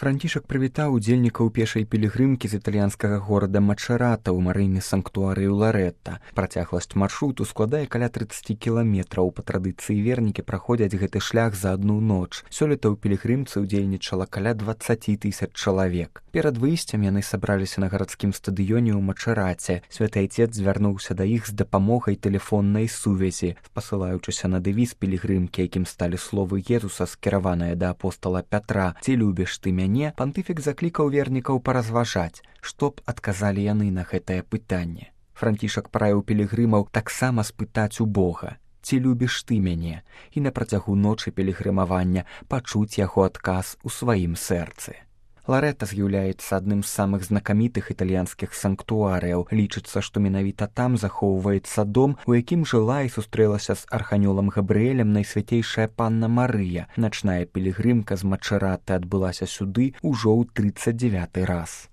Францішак прывітаў удзельнікаў пешай пілігрымкі з італьянскага горада Мачэрата ў марыйны санктуарыю Ларэтта. Працягласць маршруту складае каля 30 кіламетраў. Па традыцыі вернікі праходзяць гэты шлях за адну ноч. Сёлета ў пілігрымцы ўдзельнічала каля 20 000 чалавек. Перад выйсцем яны сабраліся на гарадскім стадыёне ў Мачэраце. Святы Айцец звярнуўся да іх з дапамогай тэлефоннай сувязі. Спасылаючыся на дэвіз пілігрымкі, якім сталі словы Езуса, скіраваныя да апостала Пятра: «Ці любіш ты мяне?», пантыфік заклікаў вернікаў паразважаць, што б адказалі яны на гэтае пытанне. Францішак параіў пілігрымаў таксама спытаць у Бога: «Ці любіш ты мяне?», і на працягу ночы пілігрымавання пачуць яго адказ у сваім сэрцы. Ларэтта з'яўляецца адным з самых знакамітых італьянскіх санктуарыяў. Лічыцца, што менавіта там захоўваецца дом, у якім жыла і сустрэлася з арханёлам Габрыэлем найсвяцейшая панна Марыя. Начная пілігрымка з Мачэраты адбылася сюды ўжо ў 39-й раз.